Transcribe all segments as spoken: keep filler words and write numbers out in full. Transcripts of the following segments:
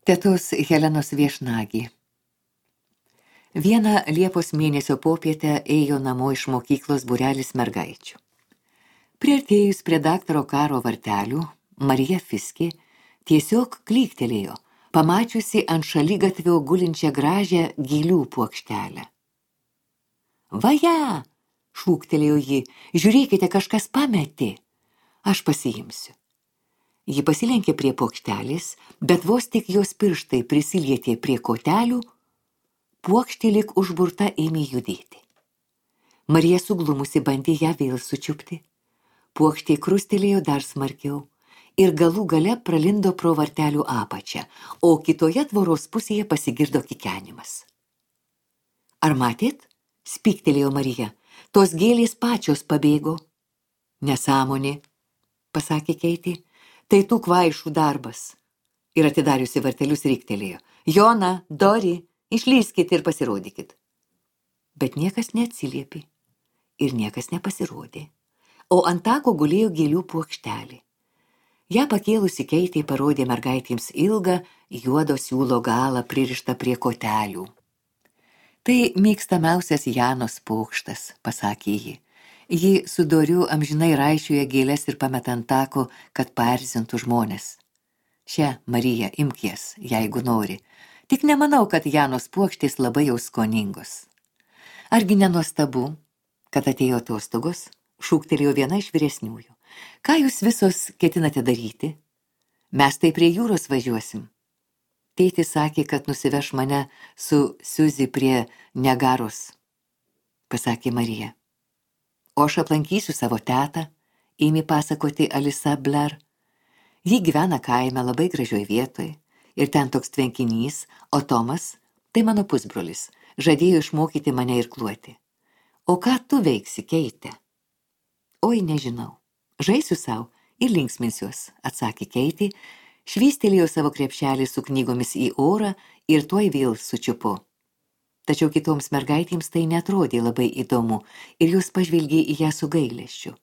Tetos Helenos viešnagė. Vieną Liepos mėnesio popietę ėjo namo iš mokyklos būrelis mergaičių. Priartėjus prie daktaro Karo vartelių, Marija Fiskė tiesiog klyktelėjo, pamačiusi ant šaligatvio gulinčią gražią gėlių puokštelę. Vaja, šūktelėjo ji, žiūrėkite, kažkas pametė. Aš pasiimsiu. Ji pasilenkė prie puokštelės, bet vos tik jos pirštai prisilietė prie kotelių, puokštė lyg užburta ėmė judėti. Marija suglumusi bandė ją vėl sučiupti. Puokštė krustelėjo dar smarkiau ir galų gale pralindo pro vartelių apačią, o kitoje tvoros pusėje pasigirdo kikenimas. Ar matėt? Spyktelėjo Marija. Tos gėlės pačios pabėgo. Nesąmonė, pasakė Keitė. Tai tų kvaišų darbas. Ir atidariusi vartelius riktelėjo. Jona, Dori, išlyskit ir pasirodykit. Bet niekas neatsiliepė ir niekas nepasirodė. O ant tako gulėjo gėlių puokštelė. Ja pakėlusi Keitė parodė mergaitėms ilgą juodo siūlo galą pririštą prie kotelių. Tai mėgstamiausias Janos pokštas, pasakė ji. Ji su Doriu amžinai raišioja gėles ir pameta ant tako, kad paerzintų žmones. Čia, Marija, imk jas, jeigu nori. Tik nemanau, kad Janos puokštės labai jau skoningos. Argi nenuostabu, kad atėjo atostogos, šūktelėjo viena iš vyresniųjų. Ką jūs visos ketinate daryti? Mes tai prie jūros važiuosim. Tėtis sakė, kad nusiveš mane su Siuzi prie Niagaros, pasakė Marija. O aš aplankysiu savo tetą, ėmė pasakoti Alisa Blair. Ji gyvena kaime labai gražioj vietoj ir ten toks tvenkinys, o Tomas, tai mano pusbrolis, žadėjo išmokyti mane irkluoti. O ką tu veiksi, Keitė? Oi, nežinau. Žaisiu savo ir linksminsiuos, atsakė Keitė, švystelėjo savo krepšelį su knygomis į orą ir tuoj vėl sučiupo. Tačiau kitoms mergaitėms tai netrodė labai įdomu ir jos pažvelgė į ją su gailesčiu.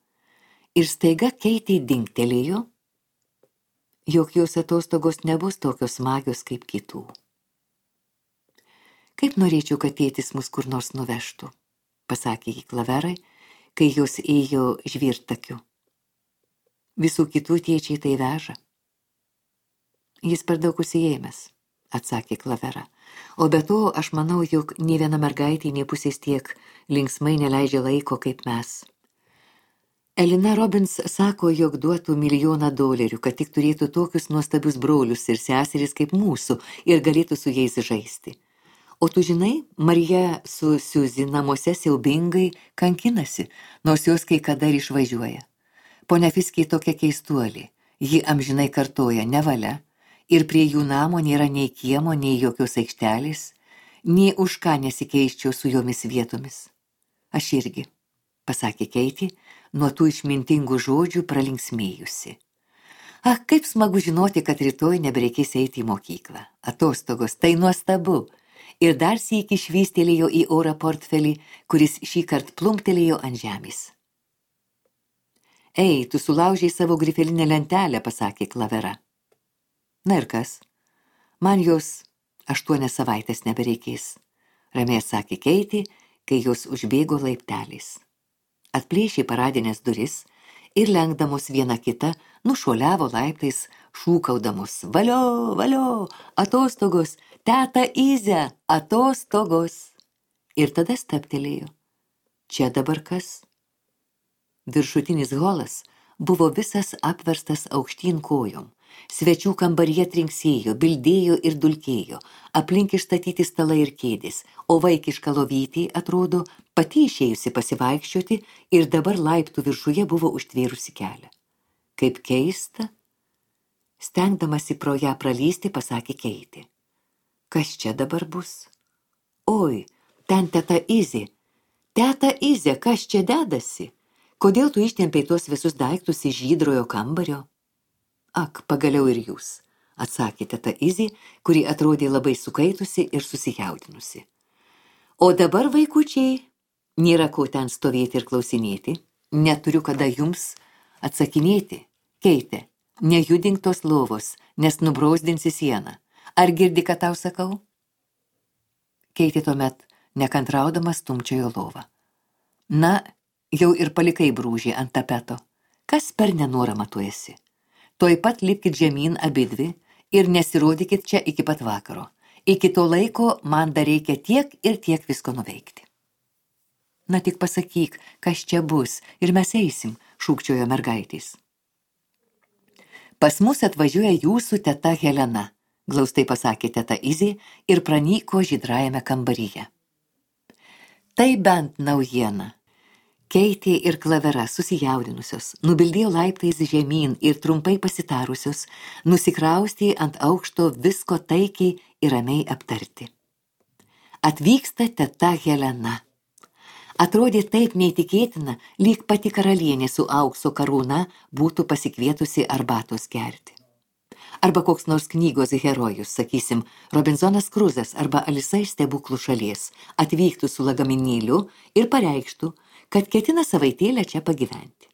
Ir staiga Keitė dingtelėjo, jog jos atostogos nebus tokios smagios kaip kitų. Kaip norėčiau, kad tėtis mus kur nors nuvežtų, pasakė ji Klaverai, kai jos ėjo žvirtakiu. Visų kitų tėčiai tai veža. Jis per daug užsiėmęs, atsakė Klavera. O be to, aš manau, jog nė viena mergaitė nė pusės tiek linksmai neleidžia laiko kaip mes. Elina Robbins sako, jog duotų milijoną dolerių, kad tik turėtų tokius nuostabius brolius ir seseris kaip mūsų ir galėtų su jais žaisti. O tu žinai, Marija su Siuzi namuose siaubingai kankinasi, nors jos kai kada ir išvažiuoja. Ponia Fiskė tokia keistuolė, ji amžinai kartoja nevalia, ir prie jų namo nėra nei kiemo, nei jokios aikštelės, nei už ką nesikeiščiau su jomis vietomis. Aš irgi, pasakė Keitė, nuo tų išmintingų žodžių pralinksmėjusi. Ak, kaip smagu žinoti, kad rytoj nebereikės eiti į mokyklą. Atostogos, tai nuostabu. Ir dar sykį švystelėjo į orą portfelį, kuris šįkart plumptelėjo ant žemės. Ei, tu sulaužei savo grifelinę lentelę, pasakė Klavera. Na ir kas? Man jos aštuonias savaitės nebereikės, ramiai sakė Keitė, kai jos užbėgo laipteliais. Atplėšė paradinės duris ir lenkdamos vieną kitą nušuoliavo laiptais, šūkaudamos valio, valio, atostogos, teta Ize, atostogos. Ir tada stabtelėjo. Čia dabar kas? Viršutinis holas buvo visas apverstas aukštyn kojom. Svečių kambaryje trinksėjo, bildėjo ir dulkėjo, aplink išstatyti stalai ir kėdės, o vaikiška lovytė, atrodo, pati išėjusi pasivaikščioti ir dabar laiptų viršuje buvo užtvėrusi kelią. Kaip keista, stengdamasi pro ją pralysti, pasakė Keitė. Kas čia dabar bus? Oi, ten teta Izė. Teta Izė, kas čia dedasi? Kodėl tu ištempei tuos visus daiktus iš žydrojo kambario? Ak, pagaliau ir jūs, atsakė teta Izė, kuri atrodė labai sukaitusi ir susijaudinusi. O dabar, vaikučiai, nėra ko ten stovėti ir klausinėti, neturiu kada jums atsakinėti. Keitė, nejudink tos lovos, nes nubrausdinsi sieną. Ar girdi, ką tau sakau? Keitė tuomet nekantraudamas stumčiojo lovą. Na, jau ir palikai brūžį ant tapeto. Kas per nenorama tu esi? Tuoj pat lipkit žemyn abidvi ir nesirodykit čia iki pat vakaro. Iki to laiko man dar reikia tiek ir tiek visko nuveikti. Na tik pasakyk, kas čia bus, ir mes eisim, šūkčiojo mergaitės. Pas mus atvažiuoja jūsų teta Helena, glaustai pasakė teta Izė ir pranyko žydrajame kambaryje. Tai bent naujiena. Keitė ir Klavera susijaudinusios, nubildėjo laiptais žemyn ir trumpai pasitarusios, nusikraustė ant aukšto visko taikiai ir ramiai aptarti. Atvyksta teta Helena. Atrodė taip neįtikėtina, lyg pati karalienė su aukso karūna būtų pasikvietusi arbatos gerti. Arba koks nors knygos herojus, sakysim, Robinzonas Kruzas arba Alisa iš stebuklų šalies, atvyktų su lagaminėliu ir pareikštų, kad ketina savaitėlę čia pagyventi.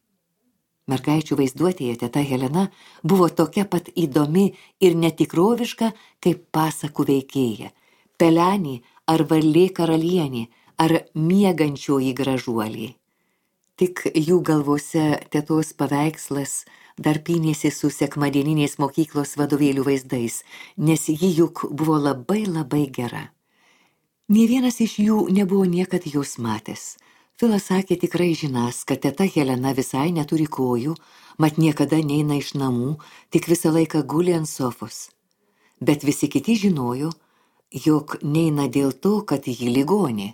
Mergaičių vaizduotėje teta Helena buvo tokia pat įdomi ir netikroviška, kaip pasakų veikėja, pelenė ar varlė karalienė, ar miegančioji gražuolė. Tik jų galvose tetos paveikslas dar pynėsi su sekmadieninės mokyklos vadovėlių vaizdais, nes ji juk buvo labai labai gera. Nė vienas iš jų nebuvo niekad jos matęs. Filas sakė tikrai žinas, kad teta Helena visai neturi kojų, mat niekada neina iš namų, tik visą laiką guli ant sofos. Bet visi kiti žinojo, jog neina dėl to, kad ji ligonė.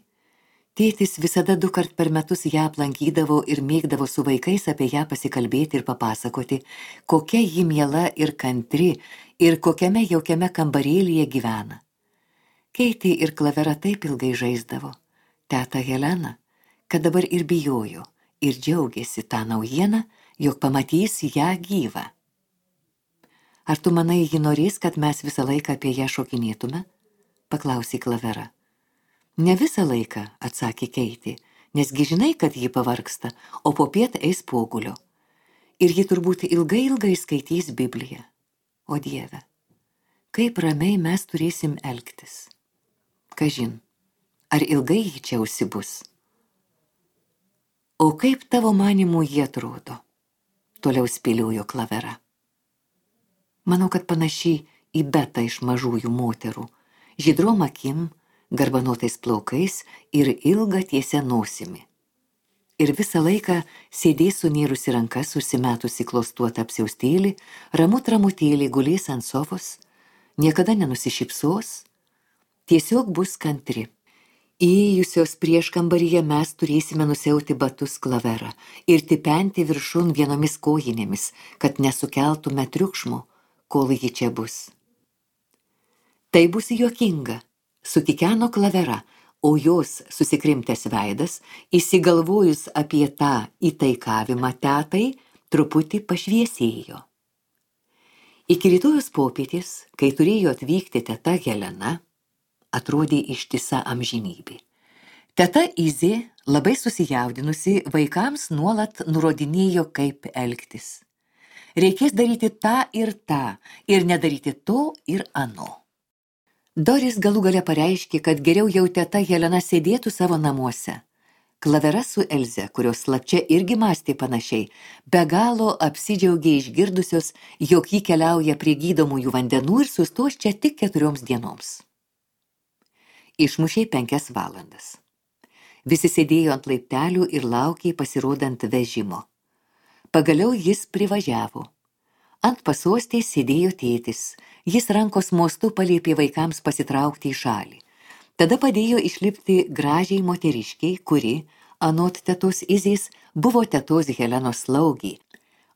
Tėtis visada du kart per metus ją aplankydavo ir mėgdavo su vaikais apie ją pasikalbėti ir papasakoti, kokia ji miela ir kantri ir kokiame jaukiame kambarėlyje gyvena. Keitė ir Klavera taip ilgai žaisdavo, teta Helena, kad dabar ir bijojo ir džiaugėsi tą naujieną, jog pamatys ją gyvą. Ar tu manai, ji norės, kad mes visą laiką apie ją šokinėtume? Paklausė Klavera. Ne visą laiką, atsakė Keitė, nesgi žinai, kad ji pavargsta, o popiet eis pogulio. Ir ji turbūt ilgai ilgai skaitys Bibliją. O Dieve, kaip ramiai mes turėsim elgtis. Kažin, ar ilgai ji čia užsibus? O kaip tavo manimų jie atrodo? Toliau spėliojo Klavera. Manau, kad panašiai į Betą iš mažųjų moterų, žydrom akim, garbanotais plaukais ir ilga tiesia nosimi. Ir visą laiką sėdės sunėrusi rankas, užsimetusi klostuotą apsiaustėlį, ramut ramutėlį gulės ant sofos, niekada nenusišypsos, tiesiog bus kantri. Įėjusios prieš kambaryje mes turėsime nusiauti batus Klavera ir tipenti viršun vienomis kojinėmis, kad nesukeltume triukšmo, kol ji čia bus. Tai bus juokinga, sutikeno Klavera, o jos susikrimtęs veidas, įsigalvojus apie tą įtaikavimą tetai, truputį pašviesėjo. Iki rytojus popietės, kai turėjo atvykti teta Helena, atrodė ištisa amžinybė. Teta Izė, labai susijaudinusi, vaikams nuolat nurodinėjo, kaip elgtis. Reikės daryti tą ir tą, ir nedaryti to ir ano. Doris galų gale pareiškė, kad geriau jau teta Helena sėdėtų savo namuose. Klavera su Elze, kurios slapčia irgi mąstė panašiai, be galo apsidžiaugė išgirdusios, jog ji keliauja prie gydomųjų vandenų ir sustos čia tik keturioms dienoms. Išmušė penkias valandas. Visi sėdėjo ant laiptelių ir laukė pasirodant vežimo. Pagaliau jis privažiavo. Ant pasostės sėdėjo tėtis. Jis rankos mostu paliepė vaikams pasitraukti į šalį. Tada padėjo išlipti gražiai moteriškiai, kuri, anot tetos Izės, buvo tetos Helenos slaugė.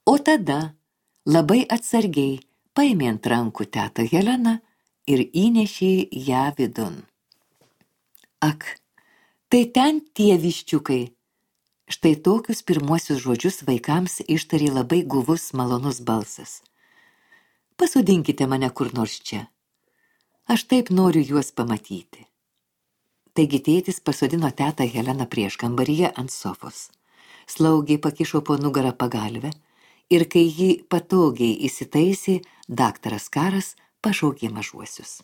O tada, labai atsargiai, paėmė ant rankų tetą Heleną ir įnešė ją vidun. Ak, tai ten tie viščiukai. Štai tokius pirmuosius žodžius vaikams ištarė labai guvus malonus balsas. Pasodinkite mane kur nors čia. Aš taip noriu juos pamatyti. Taigi tėtis pasodino tetą Heleną prieš kambaryje ant sofos. Slaugė pakišo po nugarą pagalvę ir kai ji patogiai įsitaisė, daktaras Karas pašaukė mažuosius.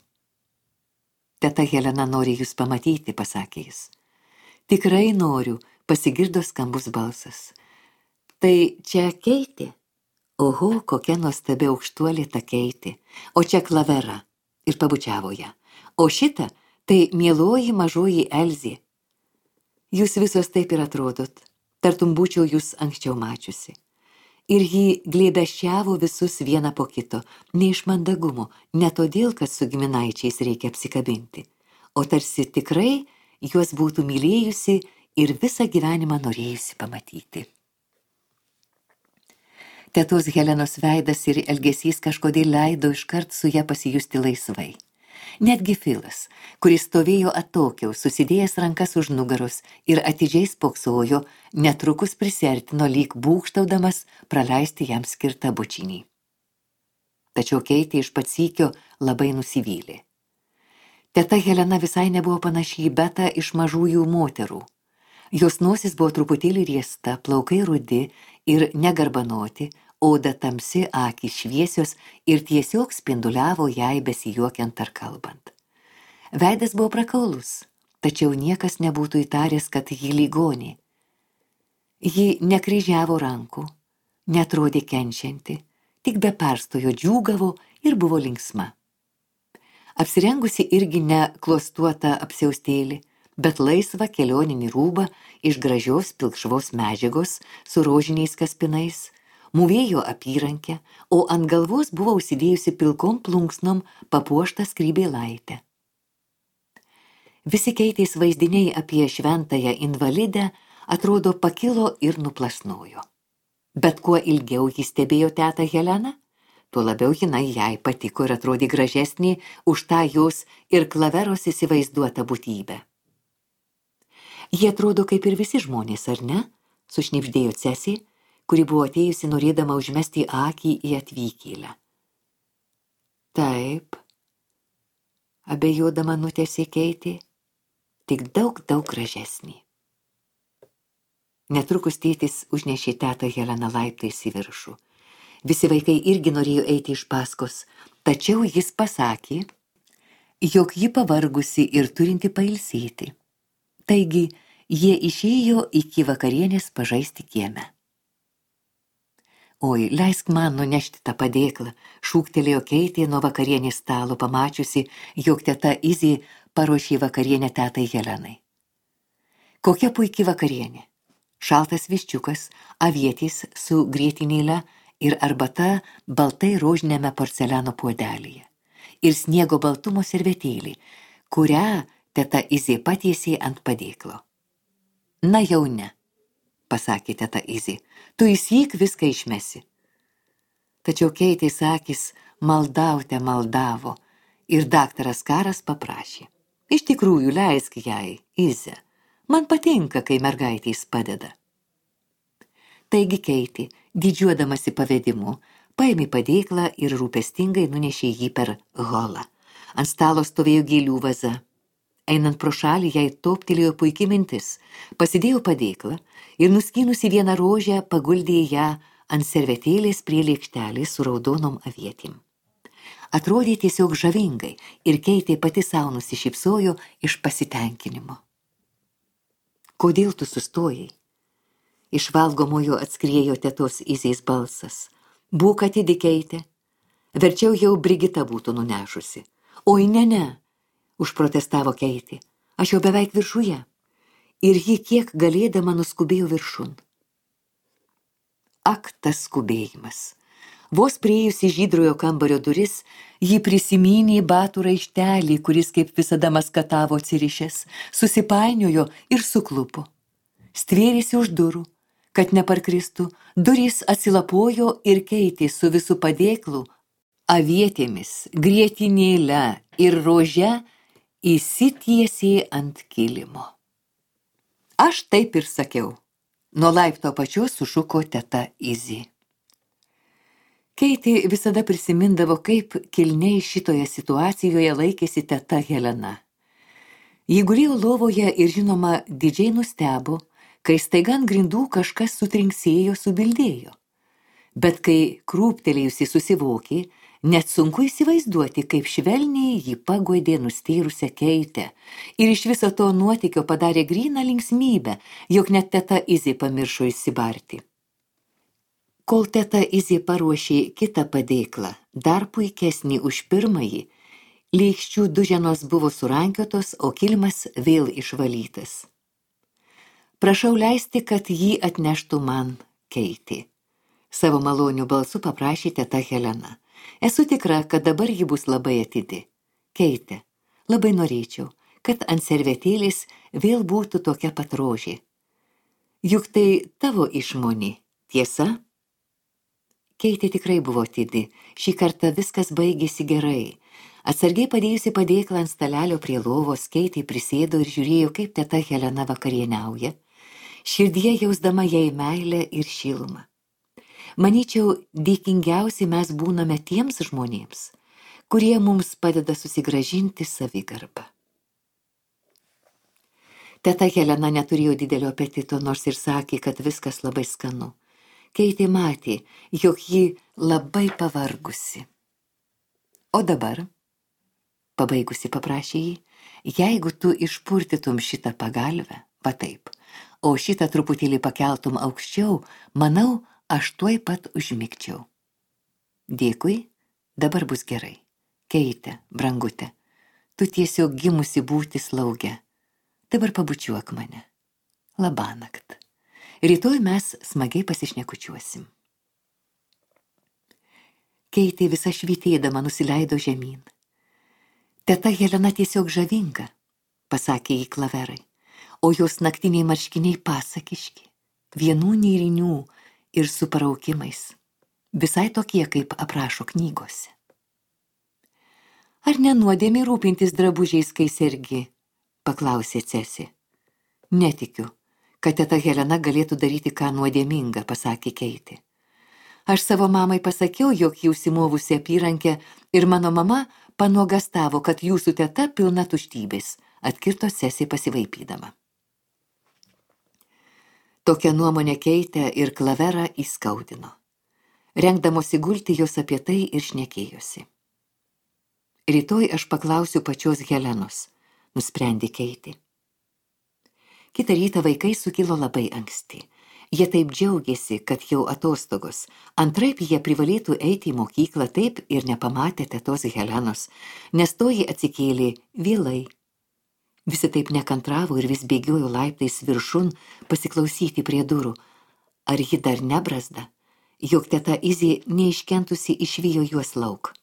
Teta Helena nori jūs pamatyti, pasakė jis. Tikrai noriu, pasigirdo skambus balsas. Tai čia Keitė? Oho, kokia nuostabi aukštuolė ta Keitė. O čia Klavera. Ir pabučiavo ją. O šita, tai mieloji mažoji Elzė. Jūs visos taip ir atrodot, tartum būčiau jūs anksčiau mačiusi. Ir jį glėbesčiavo visus vieną po kito, ne iš mandagumo, ne todėl, kad su giminaičiais reikia apsikabinti, o tarsi tikrai juos būtų mylėjusi ir visą gyvenimą norėjusi pamatyti. Tetos Helenos veidas ir elgesys kažkodėl leido iškart su ją pasijusti laisvai. Netgi Filas, kuris stovėjo atokiau, susidėjęs rankas už nugaros ir atidžiai spoksojo, netrukus prisiartino lyg būgštaudamas praleisti jam skirtą bučinį. Tačiau Keitė iš pat sykio labai nusivylė. Teta Helena visai nebuvo panaši į Betą iš mažųjų moterų. Jos nosis buvo truputėlį riesta, plaukai rudi ir negarbanoti, oda tamsi, akys šviesios ir tiesiog spinduliavo jai besijuokiant ar kalbant. Veidas buvo prakaulus, tačiau niekas nebūtų įtaręs, kad ji ligonė. Ji nekryžiavo rankų, netrodė kenčianti, tik be perstojo džiūgavo ir buvo linksma. Apsirengusi irgi ne klostuota apsiaustėlį, bet laisvą kelioninį rūbą iš gražios pilkšvos medžiagos su rožiniais kaspinais, mūvėjo apyrankę, o ant galvos buvo užsidėjusi pilkom plunksnom papuoštą skrybėlaitę. Visi Keitės vaizdiniai apie šventąją invalidę atrodo pakilo ir nuplasnojo. Bet kuo ilgiau jis stebėjo tetą Heleną, tuo labiau jinai jai patiko ir atrodė gražesnė už tą jos ir Klaveros įsivaizduotą būtybę. Jie atrodo kaip ir visi žmonės, ar ne? Sušnibždėjo Cesė, kuri buvo atėjusi norėdama užmesti akį į atvykėlę. Taip, abejodama nutęsė Keitė, tik daug, daug gražesnį. Netrukus tėtis užnešė tetą Heleną laiptais į viršų. Visi vaikai irgi norėjo eiti iš paskos, tačiau jis pasakė, jog ji pavargusi ir turinti pailsėti. Taigi, jie išėjo iki vakarienės pažaisti kieme. Oi, leisk man nunešti tą padėklą, šūktelėjo Keitė nuo vakarienės stalo, pamačiusi, jog teta Izė paruošė vakarienę tetai Helenai. Kokia puiki vakarienė. Šaltas viščiukas, avietės su grietinėle ir arbata baltai rožiniame porceliano puodelyje. Ir sniego baltumo servetėlį, kurią teta Izė patiesė ant padėklo. Na jau ne, pasakė teta Izė, tu įsyk viską išmesi. Tačiau Keitės akys maldaute maldavo ir daktaras Karas paprašė. Iš tikrųjų, leisk jai, Izė, man patinka, kai mergaitės padeda. Taigi Keitė, didžiuodamasi pavedimu, paėmė padėklą ir rūpestingai nunešė jį per holą. Ant stalo stovėjo gėlių vaza. Einant pro šalį, jai toptelėjo puiki mintis, pasidėjo padėklą ir nuskynusi vieną rožę paguldė ją ant servetėlės prie lėkštelės su raudonom avietėm. Atrodė tiesiog žavingai ir Keitė pati sau nusišypsojo iš pasitenkinimo. Kodėl tu sustojai? Iš valgomojo atskriejo tetos Izės balsas. Būk atidi, Keitė. Verčiau jau Brigita būtų nunešusi. Oi, ne, ne, užprotestavo Keitė. Aš jau beveik viršuje. Ir ji kiek galėdama nuskubėjo viršun. Ak, tas skubėjimas. Vos priėjusi žydrojo kambario duris, ji prisimynė batų raištelį, kuris kaip visada maskatavo atsirišęs, susipainiojo ir suklupo. Stvėrėsi už durų, kad neparkristų, durys atsilapojo ir Keitė su visu padėklu, avietėmis, grietinėle ir rože įsitiesė ant kilimo. Aš taip ir sakiau. Nuo laipto pačios sušuko teta Izė. Keitė visada prisimindavo, kaip kilniai šitoje situacijoje laikėsi teta Helena. Ji gulėjo lovoje ir žinoma didžiai nustebo, kai staiga ant grindų kažkas sutrinksėjo, subildėjo. Bet kai krūptelėjusi susivokė, Net sunku įsivaizduoti, kaip švelniai jį paguodė nustyrusią Keitę ir iš viso to nuotykio padarė gryną linksmybę, jog net teta Izė pamiršo įsibarti. Kol teta Izė paruošė kitą padėklą, dar puikesnį už pirmąjį, lėkščių duženos buvo surankiotos, o kilimas vėl išvalytas. Prašau leisti, kad jį atneštų man Keitė. Savo malonių balsu paprašė teta Helena. Esu tikra, kad dabar ji bus labai atidi. Keite, labai norėčiau, kad ant servetėlės vėl būtų tokia pat rožė. Juk tai tavo išmonė, tiesa? Keitė tikrai buvo atidi. Šį kartą viskas baigėsi gerai. Atsargiai padėjusi padėklą ant stalelio prie lovos, Keitė prisėdo ir žiūrėjo, kaip teta Helena vakarieniauja, širdyje jausdama jai meilę ir šilumą. Manyčiau, dėkingiausi mes būname tiems žmonėms, kurie mums padeda susigrąžinti savigarbą. Teta Helena neturėjo didelio apetito, nors ir sakė, kad viskas labai skanu. Keitė matė, jog ji labai pavargusi. O dabar, pabaigusi paprašė jį, jeigu tu išpurtytum šitą pagalvę, va taip, o šitą truputėlį pakeltum aukščiau, manau, aš tuoj pat užmigčiau. Dėkui, dabar bus gerai. Keite, brangute, tu tiesiog gimusi būti slauge. Dabar pabučiuok mane. Labanakt. Rytoj mes smagiai pasišnekučiuosim. Keitė visa švytėdama nusileido žemyn. Teta Helena tiesiog žavinga, pasakė jį Klaverai, o jos naktiniai marškiniai pasakiški, vienų nėrinių ir su paraukimais, visai tokie, kaip aprašo knygose. Ar nenuodėmė rūpintis drabužiais, kai sergi? Paklausė Cesi. Netikiu, kad teta Helena galėtų daryti ką nuodėmingą, pasakė Keitė. Aš savo mamai pasakiau, jog ji užsimovusi apyrankę ir mano mama panuogastavo, kad jūsų teta pilna tuštybės, atkirto Cesi pasivaipydama. Tokią nuomonę Keitę ir Klaverą įskaudino. Rengdamosi gulti, jos apie tai ir šnekėjosi. Rytoj aš paklausiu pačios Helenos, nusprendė Keitė. Kitą rytą vaikai sukilo labai anksti. Jie taip džiaugiasi, kad jau atostogos. Antraip jie privalėtų eiti į mokyklą, taip ir nepamatė tetos Helenos, nes toji atsikėlė vėlai. Visi taip nekantravo ir vis bėgiojo laiptais viršun pasiklausyti prie durų. Ar ji dar nebrazda, jog teta Izė neiškentusi išvijo juos lauk.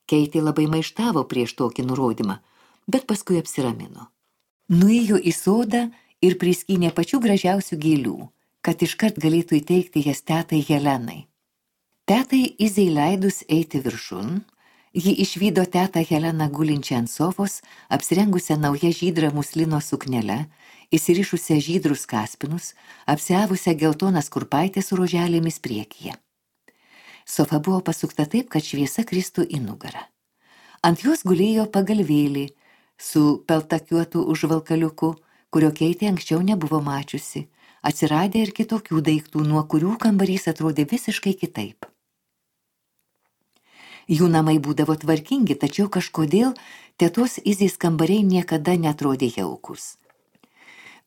Keitė labai maištavo prieš tokį nurodymą, bet paskui apsiramino. Nuėjo į sodą ir priskynė pačių gražiausių gėlių, kad iškart galėtų įteikti jas tetai Helenai. Tetai Izei leidus eiti viršun, ji išvydo tetą Heleną gulinčią ant sofos, apsirengusią nauja žydrą muslino suknelę, įsirišusią žydrus kaspinus, apsiavusią geltonas kurpaitės su roželėmis priekyje. Sofa buvo pasukta taip, kad šviesa kristų į nugarą. Ant jos gulėjo pagalvėlį su peltakiuotu užvalkaliuku, kurio Keitė anksčiau nebuvo mačiusi. Atsiradė ir kitokių daiktų, nuo kurių kambarys atrodė visiškai kitaip. Jų namai būdavo tvarkingi, tačiau kažkodėl tetos Izės kambariai niekada netrodė jaukus.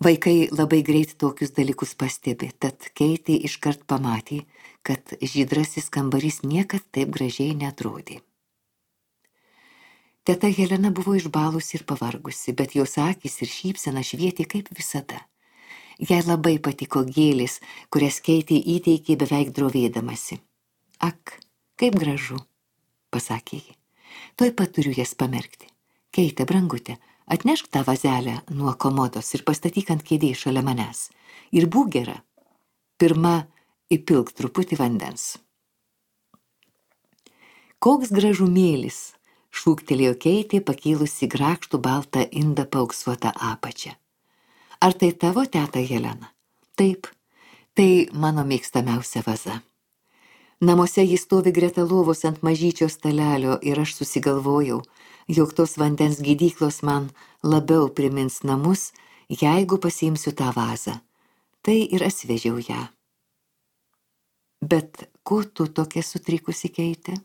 Vaikai labai greit tokius dalykus pastebė, tad Keitė iškart pamatė, kad žydrasis kambarys niekad taip gražiai netrodė. Teta Helena buvo išbalusi ir pavargusi, bet jos akys ir šypsena švietė kaip visada. Jai labai patiko gėlės, kurias Keitė įteikė beveik drovėdamasi. Ak, kaip gražu, pasakė ji. Tuoj pat turiu jas pamerkti. Keite, brangute, atnešk tą vazelę nuo komodos ir pastatyk ant kėdės šalia manęs. Ir būk gera. Pirma, įpilk truputį vandens. Koks gražumėlis, šūktelėjo Keitė, pakylusi grakštų baltą indą paauksuotą apačią. Ar tai tavo teta Helena? Taip, tai mano mėgstamiausia vaza. Namuose jis stovi greta lovos ant mažyčio stalelio ir aš susigalvojau, jog tos vandens gydyklos man labiau primins namus, jeigu pasiimsiu tą vazą. Tai ir atsivežiau ją. Bet ko tu tokia sutrikusi, Keite?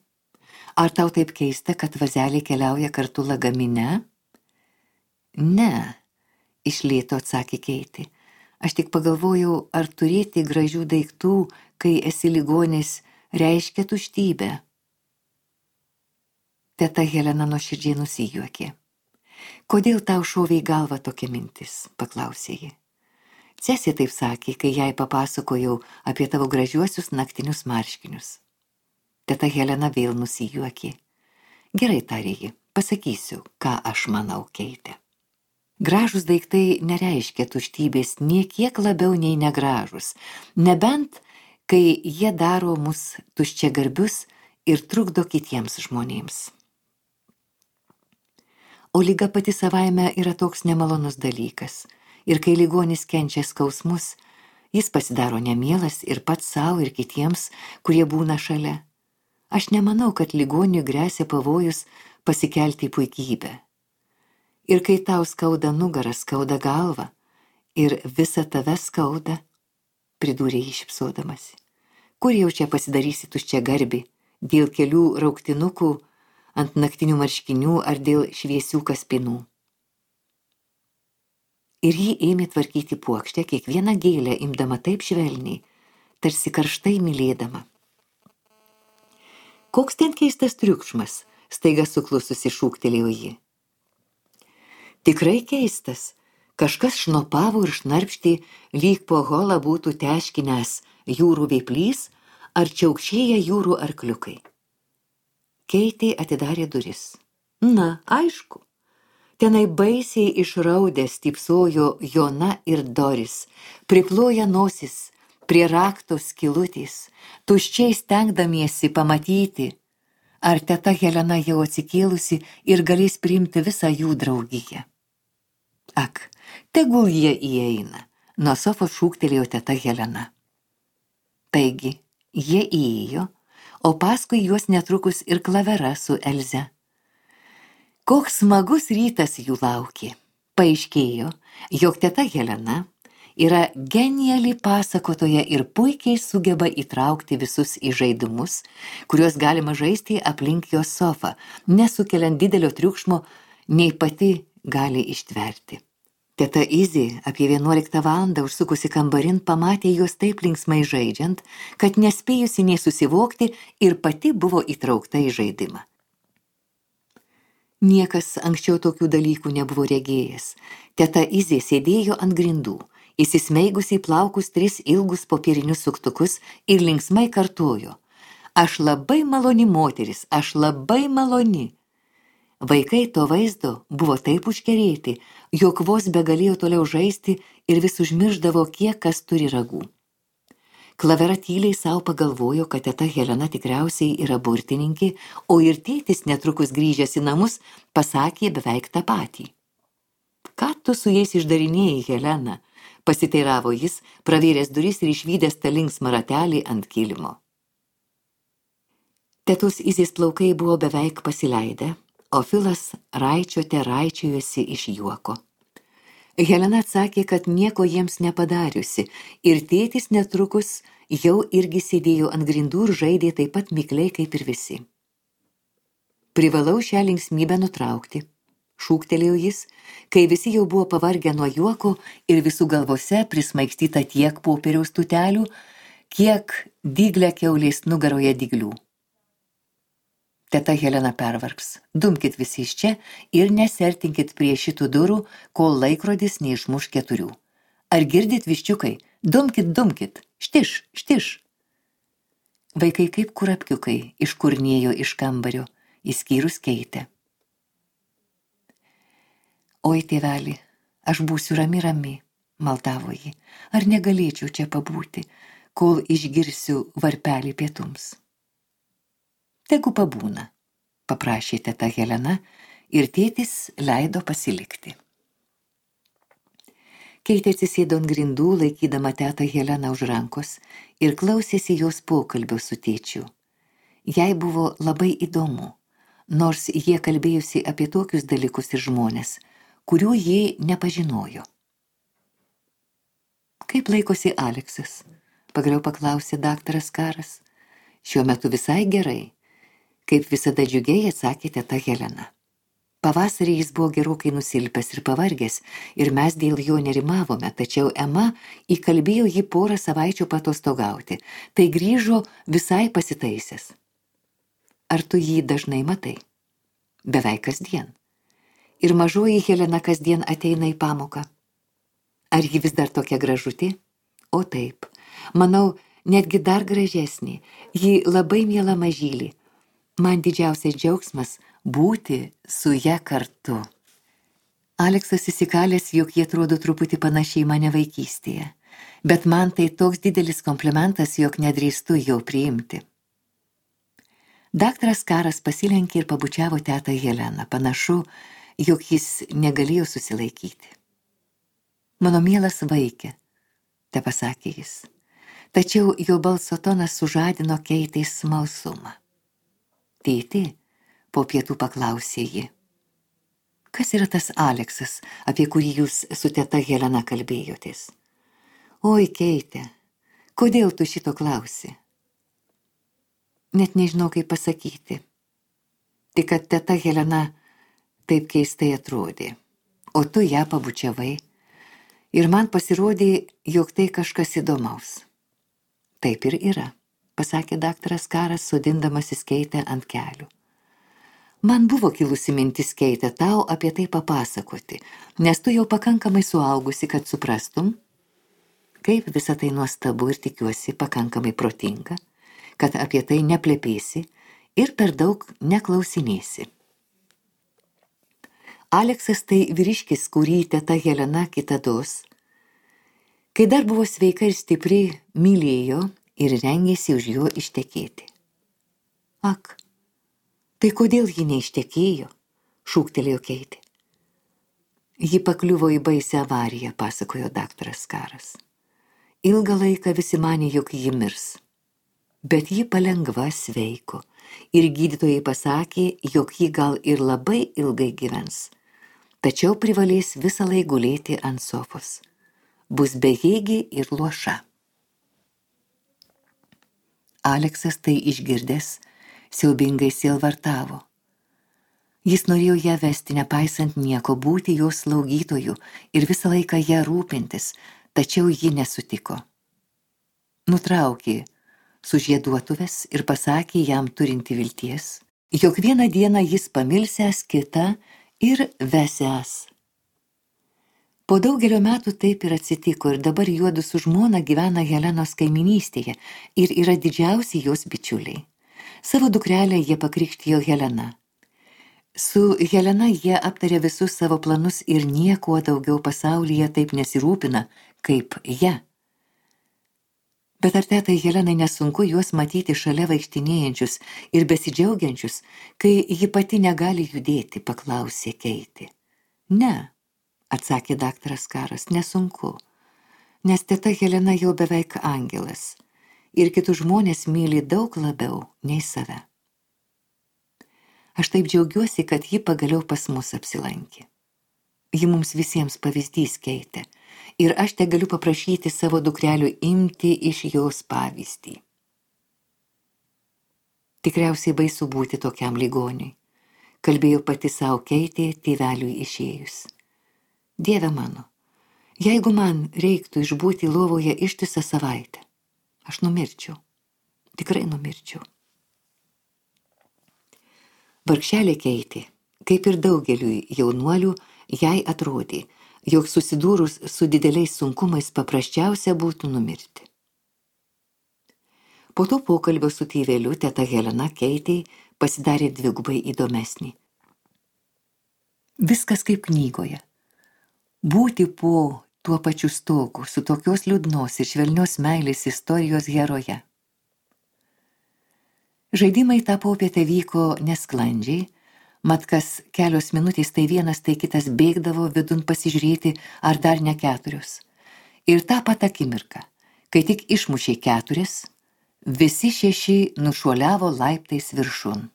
Ar tau taip keista, kad vazeliai keliauja kartu lagamine? Ne, iš lėto atsakė Keitė. Aš tik pagalvojau, ar turėti gražių daiktų, kai esi ligonis, reiškia tuštybę. Teta Helena nuoširdžiai nusijuokė. Kodėl tau šovė į galvą tokia mintis, paklausė ji. Cesė taip sakė, kai jai papasakojau apie tavo gražiuosius naktinius marškinius. Teta Helena vėl nusijuokė. Gerai, tarė ji, pasakysiu, ką aš manau, Keitė. Gražūs daiktai nereiškia tuštybės nie kiek labiau nei negražus, nebent, kai jie daro mus tuščiagarbius ir trukdo kitiems žmonėms. O liga pati savaime yra toks nemalonus dalykas, ir kai ligonis kenčia skausmus, jis pasidaro nemielas ir pats savo ir kitiems, kurie būna šalia. Aš nemanau, kad ligoniui gresia pavojus pasikelti į puikybę. Ir kai tau skauda nugarą, skauda galvą, ir visa tave skauda, pridūrė jį šypsodamasi. Kur jau čia pasidarysi tuščia garbi, dėl kelių rauktinukų ant naktinių marškinių ar dėl šviesių kaspinų? Ir ji ėmė tvarkyti puokštę, kiekvieną gėlę imdama taip švelniai, tarsi karštai mylėdama. Koks ten keistas triukšmas, staiga suklususi šūktelėjo ji. Tikrai keistas, kažkas šnopavo ir šnarpštė, lyg po holą būtų teškinęs jūrų vėplys ar čiaukšėję jūrų arkliukai. Keitė atidarė duris. Na, aišku. Tenai baisiai išraudęs stypsojo Jona ir Doris, priploja nosis prie rakto skylutės, tuščiai stengdamiesi pamatyti, ar teta Helena jau atsikėlusi ir galės priimti visą jų draugiją. Ak, tegul jie įeina, nuo sofos šūktelėjo teta Helena. Taigi, jie įėjo, o paskui juos netrukus ir Klavera su Elze. Koks smagus rytas jų laukė. Paaiškėjo, jog teta Helena yra geniali pasakotoja ir puikiai sugeba įtraukti visus į žaidimus, kuriuos galima žaisti aplink jos sofą, nesukeliant didelio triukšmo, nei pati gali ištverti. Teta Izė apie vienuoliktą valandą užsukusi kambarin pamatė juos taip linksmai žaidžiant, kad nespėjusi nei susivokti ir pati buvo įtraukta į žaidimą. Niekas anksčiau tokių dalykų nebuvo regėjęs. Teta Izė sėdėjo ant grindų, įsismeigusi į plaukus tris ilgus popierinius suktukus ir linksmai kartojo. Aš labai maloni moteris, aš labai maloni. Vaikai to vaizdo buvo taip užkerėti, jog vos begalėjo toliau žaisti ir vis užmirždavo, kiek kas turi ragų. Klavera tyliai savo pagalvojo, kad teta Helena tikriausiai yra burtininkė, o ir tėtis netrukus grįžęs į namus pasakė beveik tą patį. Ką tu su jais išdarinėjai, Helena? Pasiteiravo jis, pravėręs duris ir išvydęs tą linksmą ratelį ant kilimo. Tetos Izės plaukai buvo beveik pasileidę, o Filas raičiote raičiojosi iš juoko. Helena atsakė, kad nieko jiems nepadariusi, ir tėtis netrukus jau irgi sėdėjo ant grindų ir žaidė taip pat mikliai kaip ir visi. Privalau šią linksmybę nutraukti, šūktelėjo jis, kai visi jau buvo pavargę nuo juoko ir visų galvose prismaigstyta tiek popieriaus tutelių, kiek dyglę kiaulės nugaroje dyglių. Teta Helena pervargs, dumkit visi iš čia ir nesertinkit prie šitų durų, kol laikrodis neišmuš keturių. Ar girdit, viščiukai? Dumkit, dumkit, štiš, štiš. Vaikai kaip kurapkiukai iškurnėjo iš kambario, išskyrus Keitę. Oi, tėveli, aš būsiu rami rami, maldavo ji, ar negalėčiau čia pabūti, kol išgirsiu varpelį pietums. Tegu pabūna, paprašė teta Helena ir tėtis leido pasilikti. Keitė atsisėdo ant grindų, laikydama tetą Heleną už rankos ir klausėsi jos pokalbio su tėčiu. Jai buvo labai įdomu, nors jie kalbėjusi apie tokius dalykus ir žmonės, kurių jie nepažinojo. Kaip laikosi Aleksas? Pagaliau paklausė daktaras Karas. Šiuo metu visai gerai. Kaip visada džiugiai atsakė teta Helena. Pavasarį jis buvo gerokai nusilpęs ir pavargęs, ir mes dėl jo nerimavome, tačiau Ema įkalbėjo jį porą savaičių patostogauti, tai grįžo visai pasitaisęs. Ar tu jį dažnai matai? Beveik kasdien. Ir mažoji Helena kasdien ateina į pamoką. Ar ji vis dar tokia gražutė? O taip, manau, netgi dar gražesnė. Ji labai miela mažylė. Man didžiausias džiaugsmas būti su ja kartu. Aleksas įsikalęs, jog jie atrodo truputį panašiai mane vaikystėje, bet man tai toks didelis komplimentas, jog nedrįstu jo priimti. Daktaras Karas pasilenkė ir pabučiavo tetą Heleną. Panašu, jog jis negalėjo susilaikyti. Mano mielas vaikė, te pasakė jis, tačiau jo balso tonas sužadino Keitei smalsumą. Tėti, po pietų paklausė ji. Kas yra tas Aleksas, apie kurį jūs su teta Helena kalbėjotės? Oi, Keite, kodėl tu šito klausi? Net nežinau, kaip pasakyti. Tik kad teta Helena taip keistai atrodė, o tu ją pabučiavai, ir man pasirodė, jog tai kažkas įdomaus. Taip ir yra, pasakė daktaras Karas, sodindamasis Keitę ant kelių. Man buvo kilusi mintis, Keite, tau apie tai papasakoti, nes tu jau pakankamai suaugusi, kad suprastum, kaip visa tai nuostabu ir tikiuosi pakankamai protinga, kad apie tai neplepėsi ir per daug neklausinėsi. Aleksas tai vyriškis, kurį teta Helena kitados, kai dar buvo sveika ir stipri, mylėjo ir rengėsi už jo ištekėti. Ak, tai kodėl ji neištekėjo, šūktelėjo Keitė. Ji pakliuvo į baisią avariją, pasakojo daktaras Karas. Ilgą laiką visi manė, jog ji mirs, bet ji palengva sveiko ir gydytojai pasakė, jog ji gal ir labai ilgai gyvens, tačiau privalės visą laiką gulėti ant sofos. Bus bejėgi ir luoša. Aleksas tai išgirdęs, siaubingai sielvartavo. Jis norėjo ją vesti, nepaisant nieko, būti jos slaugytoju ir visą laiką ją rūpintis, tačiau ji nesutiko. Nutraukė sužieduotuvės ir pasakė jam turinti vilties, jog vieną dieną jis pamilsęs kitą ir vesęs. Po daugelio metų taip ir atsitiko ir dabar juodu su žmona gyvena Helenos kaiminystėje ir yra didžiausi jos bičiuliai. Savo dukrelę jie pakrikštijo Helena. Su Helena jie aptarė visus savo planus ir niekuo daugiau pasaulyje taip nesirūpina, kaip ją. Bet ar tetai Helenai nesunku juos matyti šalia vaikštinėjančius ir besidžiaugiančius, kai ji pati negali judėti, paklausė Keitė. Ne, atsakė daktaras Karas, nesunku, nes teta Helena jau beveik angelas ir kitus žmonės myli daug labiau nei save. Aš taip džiaugiuosi, kad ji pagaliau pas mus apsilankė. Ji mums visiems pavyzdys, Keitė, ir aš te galiu paprašyti savo dukrelių imti iš jos pavyzdį. Tikriausiai baisu būti tokiam ligoniui, kalbėjo pati savo Keitė tėveliui išėjus. Dieve mano, jeigu man reiktų išbūti lovoje ištisą savaitę, aš numirčiau, tikrai numirčiau. Vargšelė Keitė, kaip ir daugeliui jaunuolių, jai atrodė, jog susidūrus su dideliais sunkumais paprasčiausia būtų numirti. Po to pokalbio su tėveliu teta Helena Keitei pasidarė dvigubai įdomesnį. Viskas kaip knygoje. Būti po tuo pačiu stogu su tokios liūdnos ir švelnios meilės istorijos heroje. Žaidimai tą popietę vyko nesklandžiai, mat kas kelios minutės tai vienas, tai kitas bėgdavo vidun pasižiūrėti, ar dar ne keturios. Ir tą pat akimirką, kai tik išmušė keturias, visi šeši nušuoliavo laiptais viršun.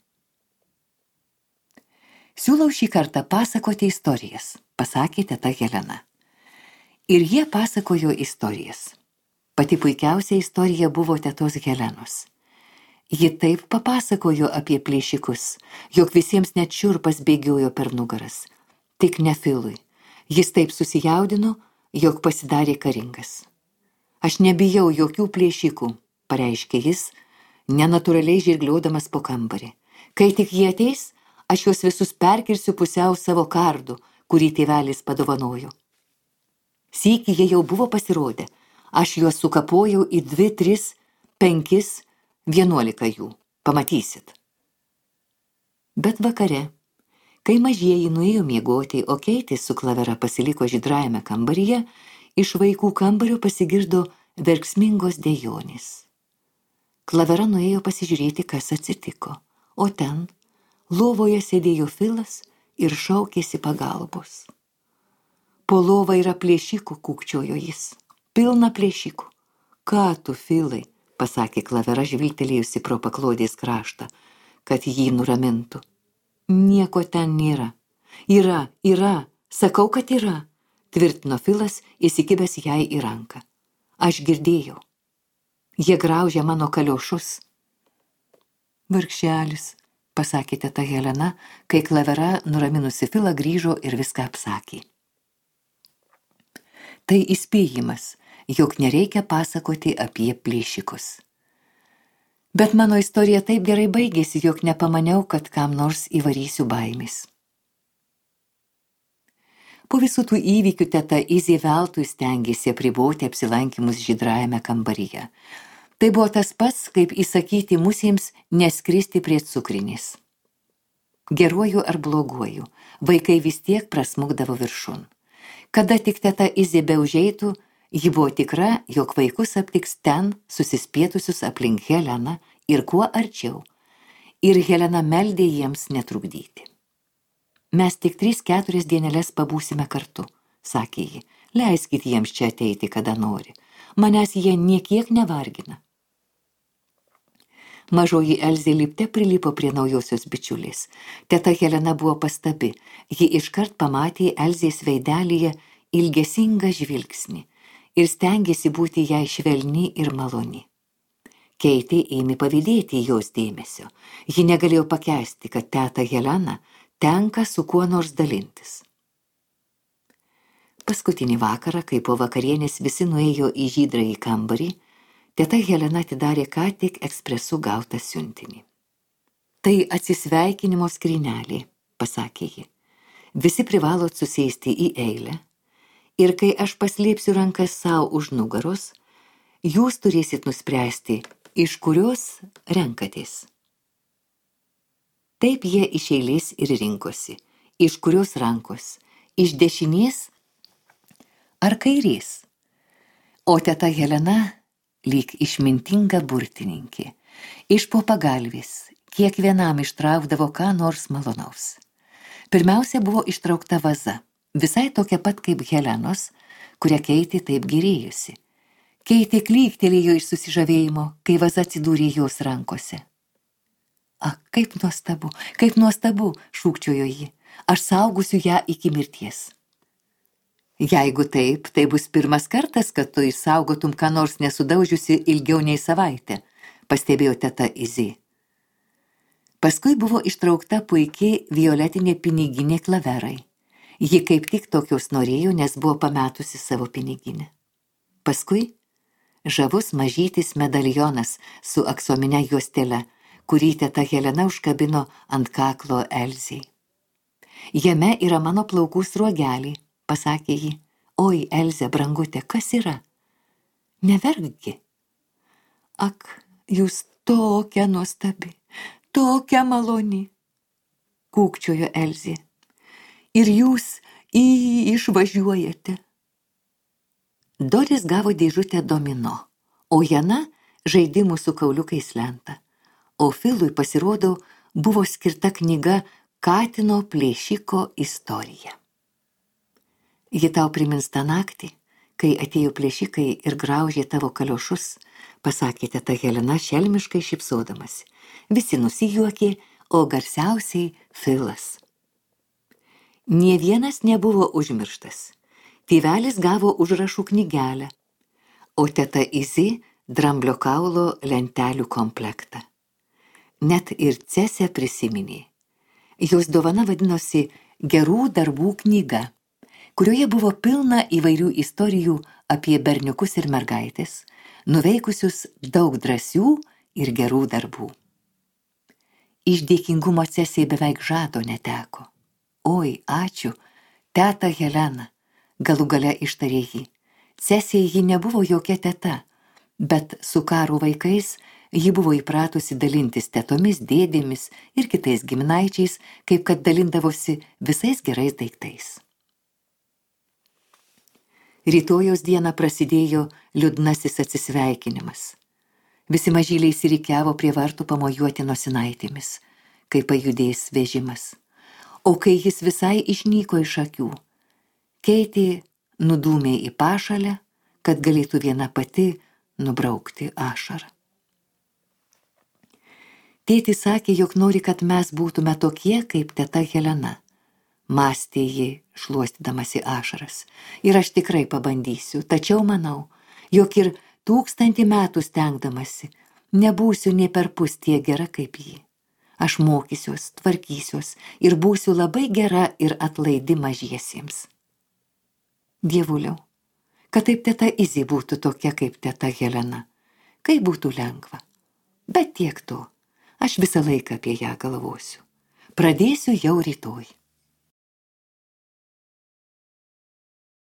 Siūlau šį kartą pasakoti istorijas, pasakė teta Helena. Ir jie pasakojo istorijas. Pati puikiausia istorija buvo tetos Helenos. Ji taip papasakojo apie plėšikus, jog visiems net šiurpas bėgiojo per nugaras. Tik ne Filui. Jis taip susijaudino, jog pasidarė karingas. Aš nebijau jokių plėšikų, pareiškė jis, nenatūraliai žirgliodamas po kambarį. Kai tik jie ateis, aš juos visus perkirsiu pusiau savo kardu, kurį tėvelis padovanojo. Sykį jie jau buvo pasirodę. Aš juos sukapojau į dvi, tris, penkis, vienuolika jų. Pamatysit. Bet vakare, kai mažieji nuėjo miegoti, o Keitė su Klavera pasiliko žydrajame kambaryje, iš vaikų kambario pasigirdo verksmingos dejonės. Klavera nuėjo pasižiūrėti, kas atsitiko, o ten lovoje sėdėjo Filas ir šaukėsi pagalbos. Po lova yra plėšikų, kūkčiojo jis. Pilna plėšikų. Ką tu, Filai, pasakė Klavera, žvilgtelėjusi pro paklodės kraštą, kad jį nuramintų. Nieko ten nėra. Yra, yra, sakau, kad yra, tvirtino Filas, įsikibęs jai į ranką. Aš girdėjau. Jie graužia mano kaliošus. Vargšelis, pasakė teta Helena, kai Klavera, nuraminusi Filą, grįžo ir viską apsakė. Tai įspėjimas, jog nereikia pasakoti apie plėšikus. Bet mano istorija taip gerai baigėsi, jog nepamaniau, kad kam nors įvarysiu baimės. Po visų tų įvykių teta Izė veltui stengėsi apriboti apsilankymus žydrajame kambaryje. Tai buvo tas pats, kaip įsakyti musėms neskristi prie cukrinės. Geruoju ar bloguoju, vaikai vis tiek prasmukdavo viršun. Kada tik teta Izė beužeitų, ji buvo tikra, jog vaikus aptiks ten susispietusius aplink Heleną ir kuo arčiau, ir Helena meldė jiems netrukdyti. Mes tik tris keturias dienelės pabūsime kartu, sakė ji, leiskit jiems čia ateiti, kada nori, manęs jie niekiek nevargina. Mažoji Elzė lipte prilipo prie naujosios bičiulės. Teta Helena buvo pastabi, ji iškart pamatė Elzės veidelyje ilgesingą žvilgsnį ir stengėsi būti jai švelni ir maloni. Keitė ėmė pavydėti jos dėmesio. Ji negalėjo pakęsti, kad teta Helena tenka su kuo nors dalintis. Paskutinį vakarą, kai po vakarienės visi nuėjo į žydrąjį kambarį, teta Helena atidarė ką tik ekspresu gautą siuntinį. Tai atsisveikinimo skrynelė, pasakė ji. Visi privalot susėsti į eilę ir kai aš paslėpsiu rankas savo už nugaros, jūs turėsit nuspręsti, iš kurios renkatės. Taip jie iš eilės ir rinkosi, iš kurios rankos, iš dešinės ar kairės. O teta Helena lyg išmintinga burtininkė, iš po pagalvės, kiekvienam ištraukdavo ką nors malonaus. Pirmiausia buvo ištraukta vaza, visai tokia pat kaip Helenos, kurią Keitė taip gyrėjusi. Keitė klyktelėjo iš susižavėjimo, kai vaza atsidūrė jos rankose. Ak, kaip nuostabu, kaip nuostabu, šūkčiojo ji, aš saugusiu ją iki mirties. Jeigu taip, tai bus pirmas kartas, kad tu išsaugotum ką nors nesudaužiusi ilgiau nei savaitę, pastebėjo teta Izė. Paskui buvo ištraukta puikiai violetinė piniginė Klaverai. Ji kaip tik tokios norėjo, nes buvo pametusi savo piniginę. Paskui žavus mažytis medalionas su aksomine juostele, kurį teta Helena užkabino ant kaklo Elzei. Jame yra mano plaukų sruogelį, pasakė ji. Oi, Elze, brangutė, kas yra? Neverkgi. Ak, jūs tokia nuostabi, tokia maloni, kūkčiojo Elzė. Ir jūs į išvažiuojate. Doris gavo dėžutę domino, o Jana žaidimų su kauliukais lentą. O Filui, pasirodo, buvo skirta knyga Katino plėšiko istorija. Ji tau primins tą naktį, kai atėjo plėšikai ir graužė tavo kaliošus, pasakė teta Helena šelmiškai šypsodamasi. Visi nusijuokė, o garsiausiai Filas. Nė vienas nebuvo užmirštas. Tėvelis gavo užrašų knygelę, o teta Izė dramblio kaulo lentelių komplektą. net ir Cesę prisiminė. Jos dovana vadinosi Gerų darbų knyga, kurioje buvo pilna įvairių istorijų apie berniukus ir mergaitės, nuveikusius daug drąsių ir gerų darbų. Iš dėkingumo Cesei beveik žado neteko. Oi, ačiū, teta Helena, galų gale ištarė ji. Cesei ji nebuvo jokia teta, bet su Karo vaikais ji buvo įpratusi dalintis tetomis, dėdėmis ir kitais giminaičiais, kaip kad dalindavosi visais gerais daiktais. Rytojaus dieną prasidėjo liūdnasis atsisveikinimas. Visi mažyliai išsirikiavo prie vartų pamojuoti nosinaitėmis, kai pajudės vežimas. O kai jis visai išnyko iš akių, Keitė nudūmė į pašalę, kad galėtų viena pati nubraukti ašarą. Tėtis sakė, jog nori, kad mes būtume tokie, kaip teta Helena. Mąstė ji, šluostydamasi ašaras. Ir aš tikrai pabandysiu, tačiau manau, jog ir tūkstantį metų stengdamasi, nebūsiu nė perpus tiek gera kaip ji. Aš mokysiuos, tvarkysiuos ir būsiu labai gera ir atlaidi mažiesiems. Dievuliau, kad taip teta Izė būtų tokia kaip teta Helena, kaip būtų lengva. Bet tiek to, aš visą laiką apie ją galvosiu. Pradėsiu jau rytoj.